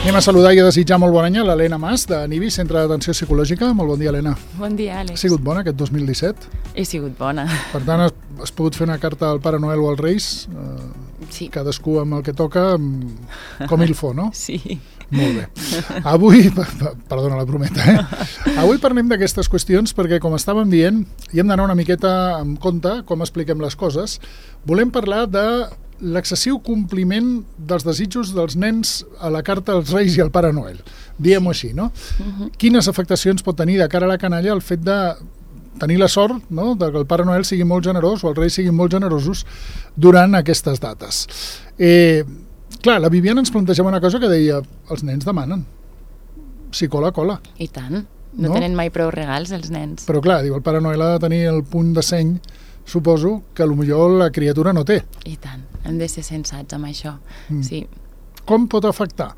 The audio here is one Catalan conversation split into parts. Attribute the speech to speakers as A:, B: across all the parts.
A: Anem a saludar i a desitjar molt bon any a l'Helena Mas, de NIBI, Centre d'Atenció Psicològica. Molt bon dia, Helena.
B: Bon dia, Àlex.
A: Ha sigut bona aquest 2017?
B: He sigut bona.
A: Per tant, has pogut fer una carta al Pare Noel o als Reis?
B: Sí.
A: Cadascú amb el que toca, com il fo, no?
B: Sí.
A: Molt bé. Avui, perdona la brometa, avui parlem d'aquestes qüestions perquè, com estàvem dient, hi hem d'anar una miqueta amb compte com expliquem les coses. Volem parlar de l'excessiu compliment dels desitjos dels nens a la carta als Reis i al Pare Noel. Diguem-ho així, no? Quines afectacions pot tenir de cara a la canalla el fet de tenir la sort, no?, de que el Pare Noel sigui molt generós o els Reis siguin molt generosos durant aquestes dates. Clar, la Viviana ens plantejava una cosa que deia, els nens demanen. Si cola, cola.
B: I tant. No tenen mai prou regals, els nens.
A: Però clar, diu, el Pare Noel ha de tenir el punt de seny, suposo, que potser la criatura no té.
B: I tant. Hem de ser sensats amb això. Sí.
A: Com pot afectar?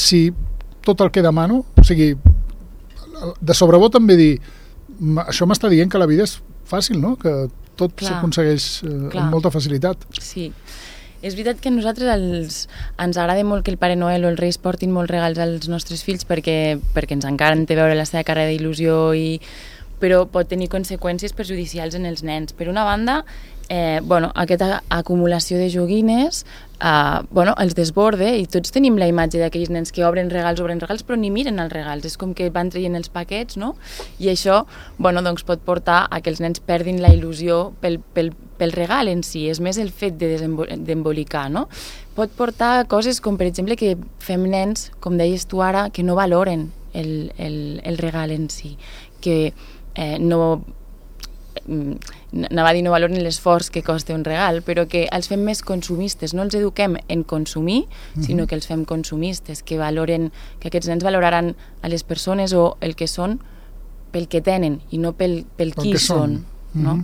A: Si tot el que demano, o sigui, de sobrevot també dir, això m'està dient que la vida és fàcil, no? Que tot s'aconsegueix amb molta facilitat.
B: Sí. És veritat que a nosaltres ens agrada molt que el Pare Noel o els Reis portin molts regals als nostres fills perquè ens encanta veure la seva cara d'il·lusió, però pot tenir conseqüències perjudicials en els nens. Per una banda, aquesta acumulació de joguines els desborde i tots tenim la imatge d'aquells nens que obren regals, però ni miren els regals. És com que van traient els paquets, no? I això pot portar a que els nens perdin la il·lusió pel regal en si. És més el fet d'embolicar, no? Pot portar a coses com, per exemple, que fem nens, com deies tu ara, que no valoren el regal en si, que no valoren l'esforç que costa un regal, però que els fem més consumistes, no els eduquem en consumir, sinó que els fem consumistes, que aquests nens valoraran a les persones o el que són pel que tenen i no pel qui són. No?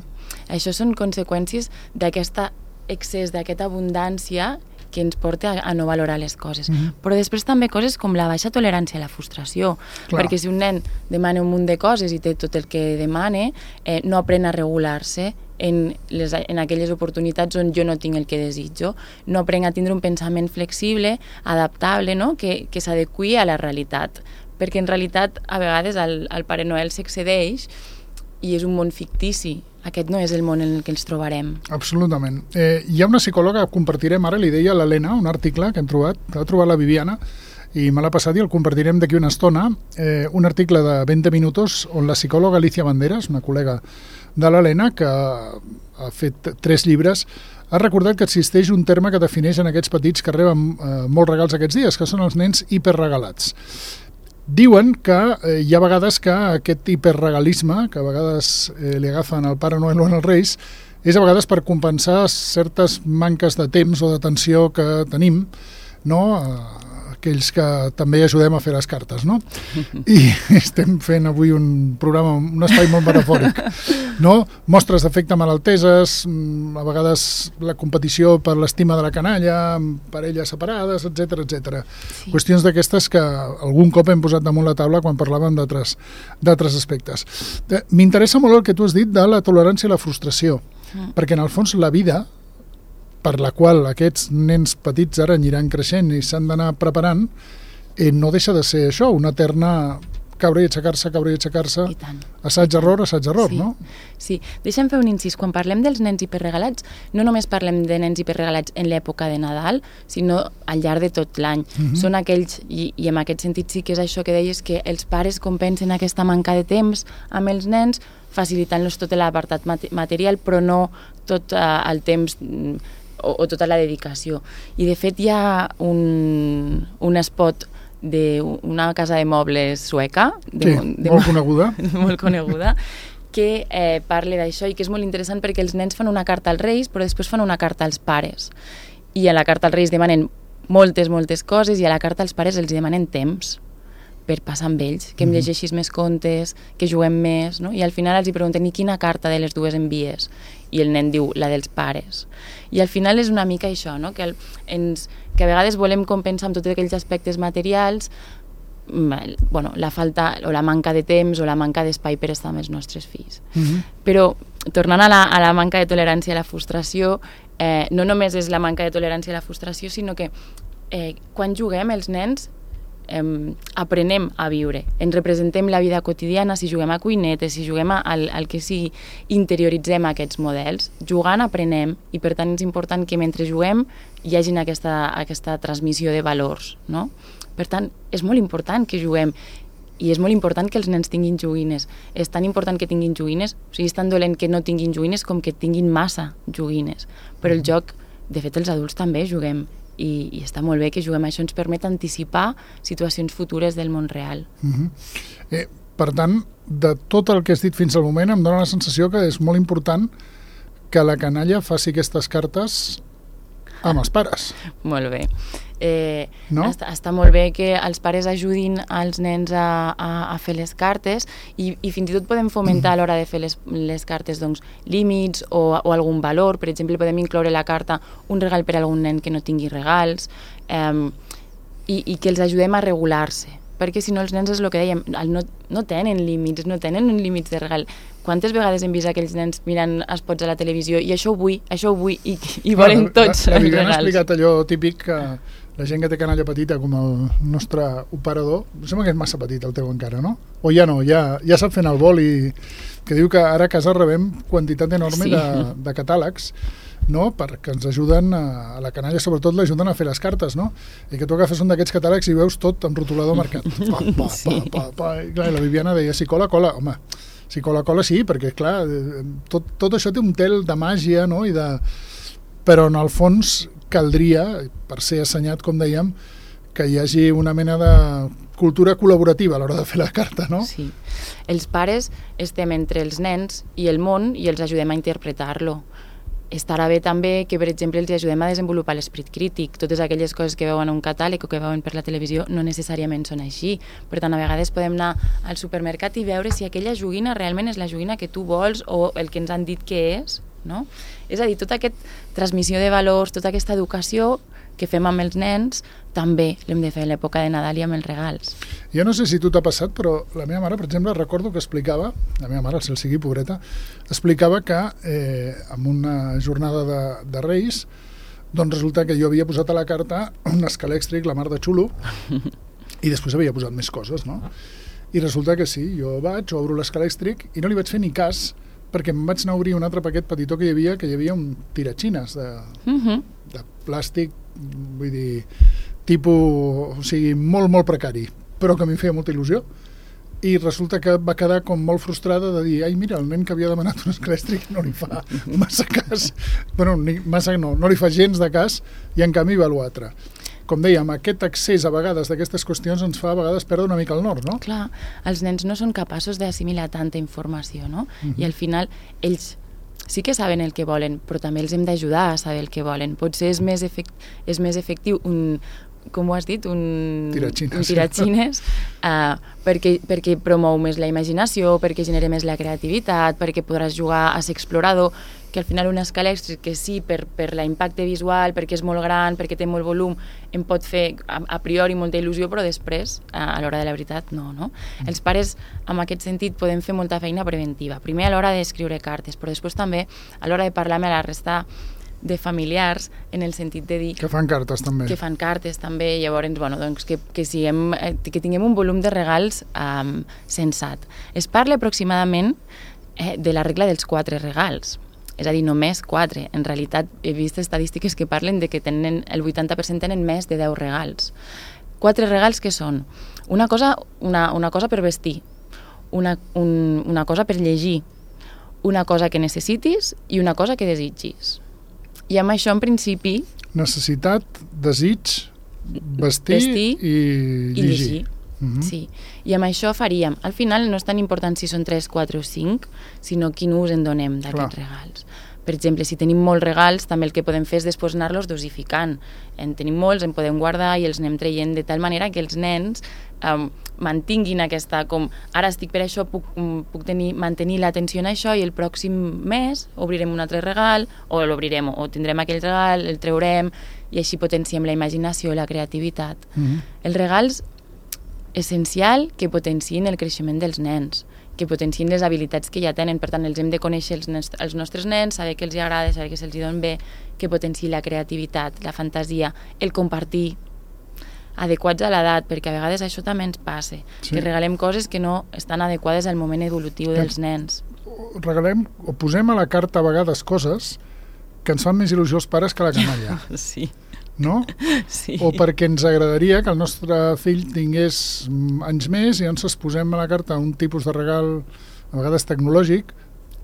B: Això són conseqüències d'aquest excés, d'aquesta abundància que ens porta a no valorar les coses. Però després també coses com la baixa tolerància a la frustració, perquè si un nen demana un munt de coses i té tot el que demana, no aprèn a regular-se en aquelles oportunitats on jo no tinc el que desitjo, no aprèn a tindre un pensament flexible, adaptable, no? que s'adeqüi a la realitat, perquè en realitat a vegades el Pare Noel s'excedeix i és un món fictici. Aquest no és el món en el que ens trobarem.
A: Absolutament. Hi ha una psicòloga que compartirem ara, li deia a l'Helena, un article que hem trobat, que l'ha trobat la Viviana, i me l'ha passat i el compartirem d'aquí una estona, un article de 20 minuts on la psicòloga Alicia Banderas, una col·lega de l'Helena, que ha fet 3 llibres, ha recordat que existeix un terme que defineix en aquests petits que reben molts regals aquests dies, que són els nens hiperregalats. Diuen que hi ha vegades que aquest hiperregalisme, que a vegades li agafen al Pare Noel o als Reis, és a vegades per compensar certes manques de temps o d'atenció que tenim, no?, aquells que també ajudem a fer les cartes, no? I estem fent avui un programa, un espai molt metafòric, no? Mostres d'afecte malalteses, a vegades la competició per l'estima de la canalla, parelles separades, etc etc. Sí. Qüestions d'aquestes que algun cop hem posat damunt la taula quan parlàvem d'altres aspectes. M'interessa molt el que tu has dit de la tolerància i la frustració, perquè en el fons la vida per la qual aquests nens petits ara aniran creixent i s'han d'anar preparant, no deixa de ser això, una eterna caure i aixecar-se, assaig-error, no?
B: Sí, deixa'm fer un incís. Quan parlem dels nens hiperregalats, no només parlem de nens hiperregalats en l'època de Nadal, sinó al llarg de tot l'any. Són aquells, i en aquest sentit sí que és això que deies, que els pares compensen aquesta manca de temps amb els nens, facilitant-los tot l'apartat material, però no tot el temps o tota la dedicació. I de fet hi ha un spot d'una casa de mobles sueca
A: molt coneguda
B: molt coneguda, que parla d'això i que és molt interessant perquè els nens fan una carta als Reis però després fan una carta als pares i a la carta als Reis demanen moltes coses i a la carta als pares els demanen temps per passar amb ells, que em llegeixis més contes, que juguem més, no? I al final els pregunten, i quina carta de les dues envies? I el nen diu, la dels pares. I al final és una mica això, no? Que a vegades volem compensar amb tots aquells aspectes materials la falta o la manca de temps o la manca d'espai per estar amb els nostres fills. Però, tornant a la manca de tolerància a la frustració, no només és la manca de tolerància a la frustració, sinó que quan juguem els nens aprenem a viure, ens representem la vida quotidiana, si juguem a cuinetes, si juguem al que sigui, interioritzem aquests models, jugant aprenem, i per tant és important que mentre juguem hi hagi aquesta transmissió de valors, no? Per tant, és molt important que juguem, i és molt important que els nens tinguin joguines. És tan important que tinguin joguines, o sigui, és tan dolent que no tinguin joguines com que tinguin massa joguines. Però el joc, de fet, els adults també juguem, i està molt bé que juguem. Això ens permet anticipar situacions futures del món real.
A: Per tant, de tot el que has dit fins al moment, em dóna la sensació que és molt important que la canalla faci aquestes cartes amb els pares.
B: Molt bé.
A: No?
B: Està molt bé que els pares ajudin als nens a fer les cartes i fins i tot podem fomentar a l'hora de fer les cartes doncs, límits o algun valor. Per exemple, podem incloure a la carta un regal per a algun nen que no tingui regals i que els ajudem a regular-se, perquè si no els nens és el que dèiem, no tenen límits, no tenen límits de regal. Quantes vegades hem vist aquells nens mirant espots a la televisió i això ho vull, i volen tots els regals.
A: La Viviana ha explicat allò típic que la gent que té canalla petita, com el nostre operador, sembla que és massa petit el teu encara, no? O ja no, ja sap fent el vol i que diu que ara a casa rebem quantitat enorme de catàlegs, no? Perquè ens ajuden, a la canalla sobretot l'ajuden a fer les cartes, no? I que tu agafes un d'aquests catàlegs i veus tot amb rotulador marcat. I clar, la Viviana deia, si cola, cola. Home, si cola, cola sí, perquè clar, tot això té un tel de màgia, no? Però en el fons caldria, per ser assenyat, com dèiem, que hi hagi una mena de cultura col·laborativa a l'hora de fer la carta, no?
B: Sí. Els pares estem entre els nens i el món i els ajudem a interpretar-lo. Estarà bé també que, per exemple, els ajudem a desenvolupar l'esperit crític. Totes aquelles coses que veuen a un catàleg o que veuen per la televisió no necessàriament són així. Per tant, a vegades podem anar al supermercat i veure si aquella joguina realment és la joguina que tu vols o el que ens han dit que és, no? És a dir, tota aquesta transmissió de valors, tota aquesta educació que fem amb els nens, també l'hem de fer a l'època de Nadal i amb els regals.
A: Jo no sé si tu t'ha passat, però la meva mare, per exemple, recordo que explicava, la meva mare, el cel sigui pobreta, explicava que en una jornada de Reis, doncs resulta que jo havia posat a la carta un escalèxtric, la mar de xulo, i després havia posat més coses, no? I resulta que sí, jo obro l'escalèxtric i no li vaig fer ni cas, perquè em vaig anar a obrir un altre paquet petitó que hi havia un tiratxines de plàstic, vull dir, tipus, o sigui, molt, molt precari, però que a mi em feia molta il·lusió. I resulta que va quedar com molt frustrada de dir, ai, mira, el nen que havia demanat un escalèxtric no li fa massa cas. Bueno, no li fa gens de cas, i en canvi va l'altre. Com dèiem, aquest accés a vegades d'aquestes qüestions ens fa a vegades perdre una mica el nord, no?
B: Clar, els nens no són capaços d'assimilar tanta informació, no? I al final ells sí que saben el que volen, però també els hem d'ajudar a saber el que volen. Potser és més efectiu com ho has dit, un tiratxines, perquè promou més la imaginació, perquè genera més la creativitat, perquè podràs jugar a ser explorador, que al final un escalèxtric que sí, per l'impacte visual, perquè és molt gran, perquè té molt volum, em pot fer a priori molta il·lusió, però després, a l'hora de la veritat, no. Els pares, en aquest sentit, podem fer molta feina preventiva. Primer a l'hora d'escriure cartes, però després també a l'hora de parlar amb la resta de familiars, en el sentit de dir...
A: Que fan cartes també.
B: Que fan cartes també, llavors, bueno, doncs que tinguem un volum de regals sensat. Es parla aproximadament de la regla dels 4 regals, és a dir, només 4. En realitat, he vist estadístiques que parlen de que el 80% tenen més de 10 regals. 4 regals que són una cosa per vestir, una cosa per llegir, una cosa que necessitis i una cosa que desitgis. I amb això, en principi...
A: Necessitat, desig, vestir i llegir.
B: Sí. I amb això faríem... Al final no és tan important si són 3, 4 o 5, sinó quin ús en donem d'aquests regals. Per exemple, si tenim molts regals, també el que podem fer és després anar-los dosificant. En tenim molts, en podem guardar i els anem traient de tal manera que els nens mantinguin aquesta, com ara estic per això, puc mantenir l'atenció en això i el pròxim mes obrirem un altre regal o l'obrirem o tindrem aquell regal, el treurem i així potenciem la imaginació, la creativitat. Els regals, essencial que potenciïn el creixement dels nens, que potenciïn les habilitats que ja tenen, per tant els hem de conèixer els nostres nens, saber què els agrada, saber que se'ls don bé, que potenciï la creativitat, la fantasia, el compartir. adequats a l'edat, perquè a vegades això també ens passa, que regalem coses que no estan adequades al moment evolutiu dels nens.
A: Regalem o posem a la carta a vegades coses que ens fan més il·lusió als pares que la canalla.
B: Sí.
A: No?
B: Sí.
A: O perquè ens agradaria que el nostre fill tingués anys més i ens posem a la carta un tipus de regal, a vegades tecnològic,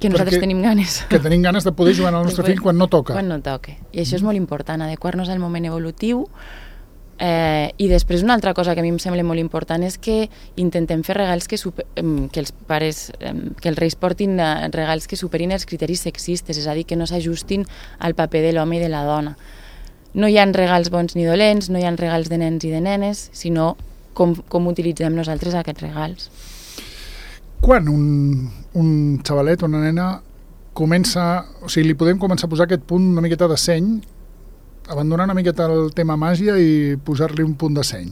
B: que nosaltres tenim ganes.
A: Que tenim ganes de poder jugar al nostre fill quan no toca.
B: Quan no toca. I això és molt important, adequar-nos al moment evolutiu. I després una altra cosa que a mi em sembla molt important és que intentem fer regals que els pares, que els reis portin regals que superin els criteris sexistes, és a dir, que no s'ajustin al paper de l'home i de la dona. No hi ha regals bons ni dolents, no hi ha regals de nens i de nenes, sinó com utilitzem nosaltres aquests regals.
A: Quan un xavalet o una nena comença, o sigui, li podem començar a posar aquest punt una miqueta de seny, abandonar una miqueta el tema màgia i posar-li un punt de seny?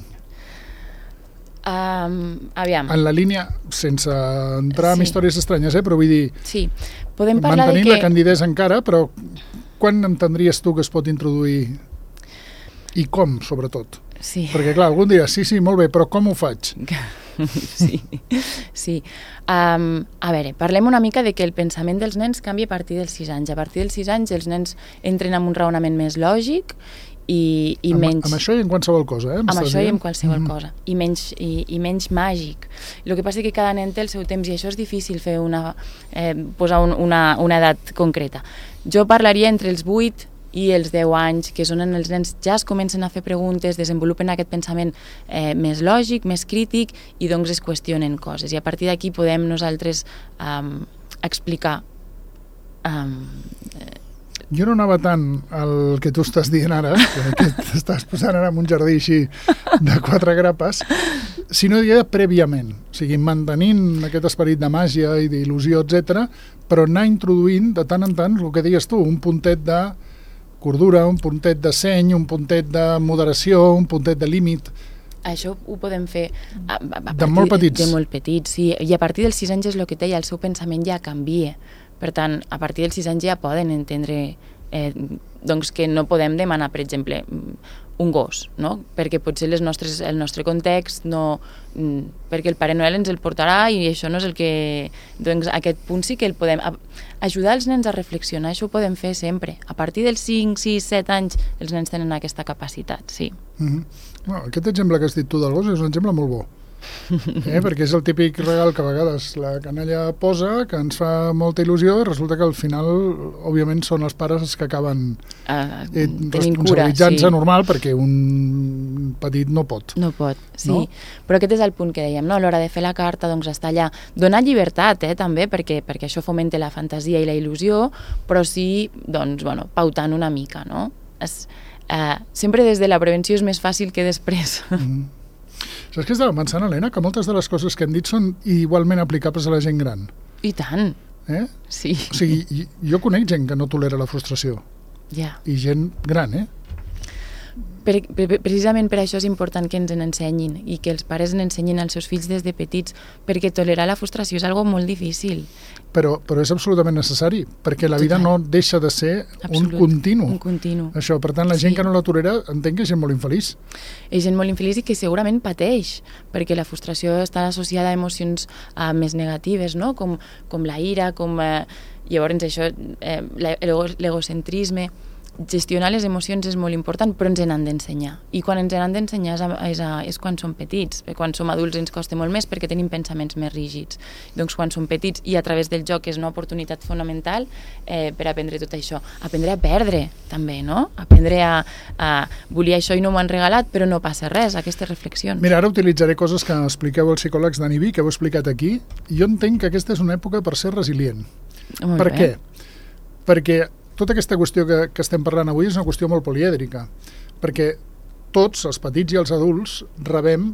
B: Aviam.
A: En la línia, sense entrar en històries estranyes, però vull dir...
B: Sí, podem parlar
A: mantenint
B: de que...
A: la candidesa encara, però quan entendries tu que es pot introduir i com, sobretot?
B: Sí.
A: Perquè, clar, algú dirà, sí, molt bé, però com ho faig?
B: Sí. A veure, parlem una mica de que el pensament dels nens canvia a partir dels 6 anys. A partir dels 6 anys els nens entren en un raonament més lògic i menys...
A: Amb això i en qualsevol cosa,
B: Amb això i en qualsevol cosa. I menys màgic. El que passa és que cada nen té el seu temps i això és difícil fer posar una edat concreta. Jo parlaria entre els 8 i els 10 anys, que són on els nens ja es comencen a fer preguntes, desenvolupen aquest pensament més lògic, més crític, i doncs es qüestionen coses. I a partir d'aquí podem nosaltres explicar...
A: Jo no anava tant al que tu estàs dient ara, que t'estàs posant ara en un jardí així de 4 grapes, sinó diria prèviament, o sigui, mantenint aquest esperit de màgia i d'il·lusió, etc, però anar introduint de tant en tant el que deies tu, un puntet de cordura, un puntet de seny, un puntet de moderació, un puntet de límit.
B: Això ho podem fer
A: de molt petits.
B: De molt petits, sí. I a partir dels 6 anys és el que deia, el seu pensament ja canvia. Per tant, a partir dels 6 anys ja poden entendre doncs que no podem demanar, per exemple, un gos, no? Perquè potser el nostre context no... perquè el Pare Noel ens el portarà i això no és el que... Doncs aquest punt sí que el podem... Ajudar els nens a reflexionar, això ho podem fer sempre. A partir dels 5, 6, 7 anys els nens tenen aquesta capacitat, sí.
A: Bueno, aquest exemple que has dit tu del gos és un exemple molt bo. Perquè és el típic regal que a vegades la canalla posa, que ens fa molta il·lusió, i resulta que al final, òbviament, són els pares els que acaben responsabilitzant-se normal, perquè un petit no pot.
B: No pot, sí. No? Però aquest és el punt que dèiem, no? A l'hora de fer la carta, doncs està allà. Donar llibertat, també, perquè això fomenta la fantasia i la il·lusió, però sí, doncs, bueno, pautant una mica, no? Sempre des de la prevenció és més fàcil que després.
A: Saps què estava pensant, Helena? Que moltes de les coses que hem dit són igualment aplicables a la gent gran.
B: I tant. Sí.
A: O sigui, jo conec gent que no tolera la frustració.
B: Ja.
A: I gent gran,
B: Precisament per això és important que ens n'ensenyin i que els pares n'ensenyin als seus fills des de petits, perquè tolerar la frustració és algo molt difícil.
A: Però és absolutament necessari, perquè la vida no deixa de ser un continu.
B: Un continu.
A: Això, per tant, la gent que no la tolera entenc que és gent molt infeliç.
B: És gent molt infeliç i que segurament pateix, perquè la frustració està associada a emocions més negatives, no? Com la ira, llavors això, l'egocentrisme. Gestionar les emocions és molt important, però ens n'han d'ensenyar. I quan ens n'han d'ensenyar és quan som petits. Quan som adults ens costa molt més perquè tenim pensaments més rígids. Doncs quan som petits i a través del joc és una oportunitat fonamental per aprendre tot això. Aprendre a perdre, també, no? Aprendre a volia això i no m'ho han regalat, però no passa res, aquestes reflexions.
A: Mira, ara utilitzaré coses que expliqueu els psicòlegs d'Aniví, que heu explicat aquí. Jo entenc que aquesta és una època per ser resilient. Per què? Perquè tota aquesta qüestió que estem parlant avui és una qüestió molt polièdrica, perquè tots, els petits i els adults, rebem,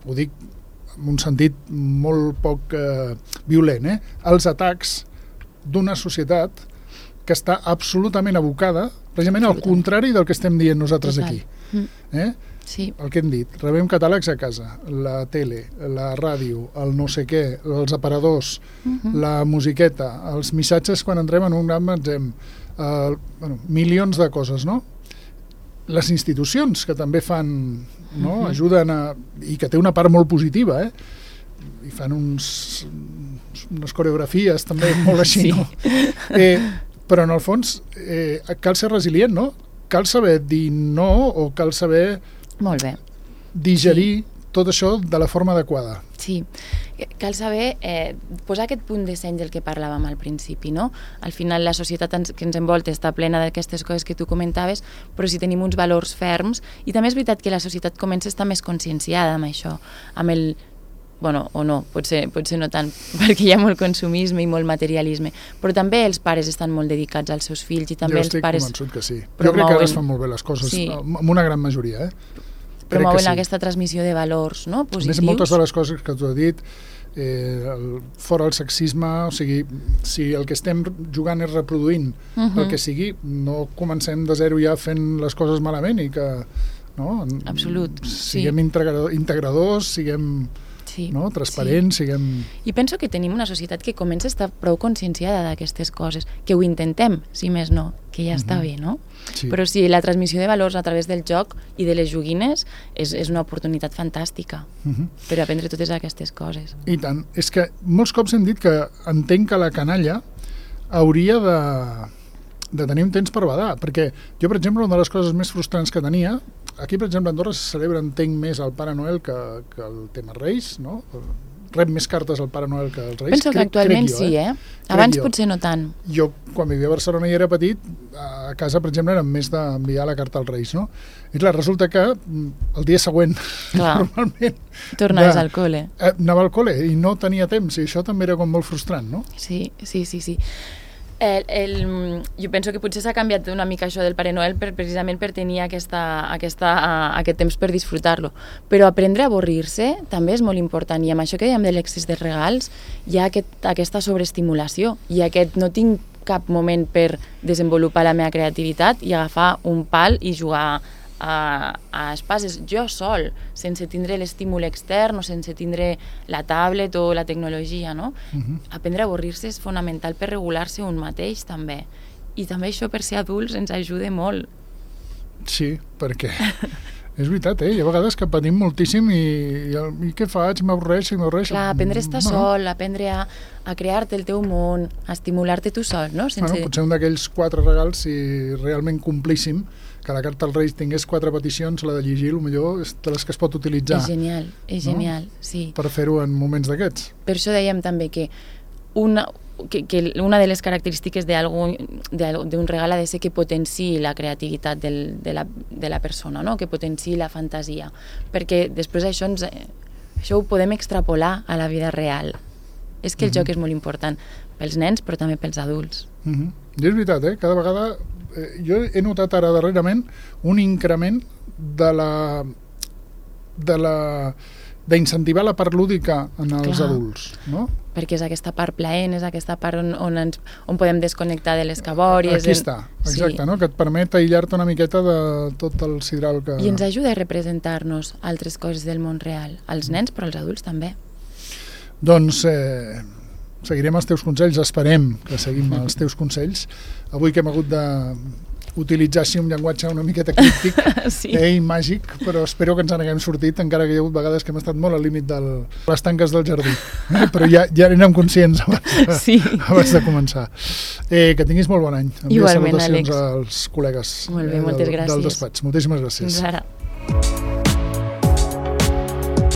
A: ho dic en un sentit molt poc violent, els atacs d'una societat que està absolutament abocada, precisament al contrari del que estem dient nosaltres aquí.
B: Sí.
A: El que hem dit, rebem catàlegs a casa, la tele, la ràdio, el no sé què, els aparadors, la musiqueta, els missatges quan entrem en un gran magatzem, milions de coses, no? Les institucions que també fan no? Ajuden i que té una part molt positiva, i fan unes coreografies també molt així, no? Però en el fons cal ser resilient, no? Cal saber dir no o cal saber
B: molt bé.
A: Digerir tot això de la forma adequada.
B: Sí, cal saber posar aquest punt de seny del que parlàvem al principi, no? Al final la societat que ens envolta està plena d'aquestes coses que tu comentaves, però si tenim uns valors ferms, i també és veritat que la societat comença a estar més conscienciada amb això, amb el bueno, o no, potser no tant, perquè hi ha molt consumisme i molt materialisme, però també els pares estan molt dedicats als seus fills i també els pares...
A: Jo estic convençut que sí. Jo crec que ara es fan molt bé les coses, amb una gran majoria,
B: Promouen aquesta transmissió de valors, no?, positius.
A: A més, moltes de les coses que tu has dit, fora el sexisme, o sigui, si el que estem jugant és reproduint el que sigui, no comencem de zero ja fent les coses malament i que, no?
B: Absolut,
A: siguem integradors, siguem... no? Transparents, siguem...
B: I penso que tenim una societat que comença a estar prou conscienciada d'aquestes coses, que ho intentem, si més no, que ja està bé, no?
A: Sí.
B: Però sí, la transmissió de valors a través del joc i de les joguines és una oportunitat fantàstica per aprendre totes aquestes coses.
A: I tant. És que molts cops hem dit que entenc que la canalla hauria de tenir un temps per badar, perquè jo, per exemple, una de les coses més frustrants que tenia, aquí, per exemple, a Andorra se celebra, entenc, més el Pare Noel que el tema Reis, no? Rep més cartes al Pare Noel que els Reis.
B: Penso que actualment sí, Abans potser no tant.
A: Jo, quan vivia a Barcelona i era petit, a casa, per exemple, érem més d'enviar la carta als Reis, no? I clar, resulta que el dia següent, normalment...
B: Tornaves al col·le.
A: Anava al col·le i no tenia temps, i això també era com molt frustrant, no?
B: Sí. Jo penso que potser s'ha canviat una mica això del Pare Noel precisament per tenir aquest temps per disfrutar-lo, però aprendre a avorrir-se també és molt important, i amb això que dèiem de l'excés de regals hi ha aquesta sobreestimulació i aquest no tinc cap moment per desenvolupar la meva creativitat i agafar un pal i jugar a espases jo sol, sense tindre l'estímul extern o sense tindre la tablet o la tecnologia, no? Aprendre a avorrir-se és fonamental per regular-se un mateix també, i també això per ser adults ens ajuda molt.
A: Sí, perquè és veritat, hi ha vegades que patim moltíssim i què faig? M'avorreixo.
B: Clar, aprendre a estar sol, aprendre a crear-te el teu món, a estimular-te tu sol, no?
A: Potser un d'aquells 4 regals, si realment complíssim, que la carta als Reis tingués 4 peticions, la de llegir, millor és de les que es pot utilitzar.
B: És genial, sí.
A: Per fer-ho en moments d'aquests.
B: Per això dèiem també que una de les característiques d'un regal ha de ser que potenciï la creativitat de la persona, no? Que potenciï la fantasia, perquè després això ho podem extrapolar a la vida real. És que el joc és molt important pels nens, però també pels adults.
A: I és veritat, cada vegada jo he notat ara darrerament un increment d'incentivar la part lúdica en els adults, no?
B: Perquè és aquesta part plaent, és aquesta part on podem desconnectar de les cabòries.
A: Aquí està, exacte, no? Que et permet aïllar-te una miqueta de tot el sidral que...
B: I ens ajuda a representar-nos altres coses del món real, als nens però als adults també.
A: Doncs seguirem els teus consells, esperem que seguim els teus consells. Avui que hem hagut d'utilitzar així un llenguatge una miqueta críptic i màgic, però espero que ens n'haguem sortit, encara que hi ha hagut vegades que hem estat molt al límit de les tanques del jardí. Però ja érem conscients abans de començar. Que tinguis molt bon any.
B: Igualment,
A: salutacions als col·legues
B: molt bé, moltes gràcies.
A: del despatx. Moltíssimes gràcies.
B: Fins ara.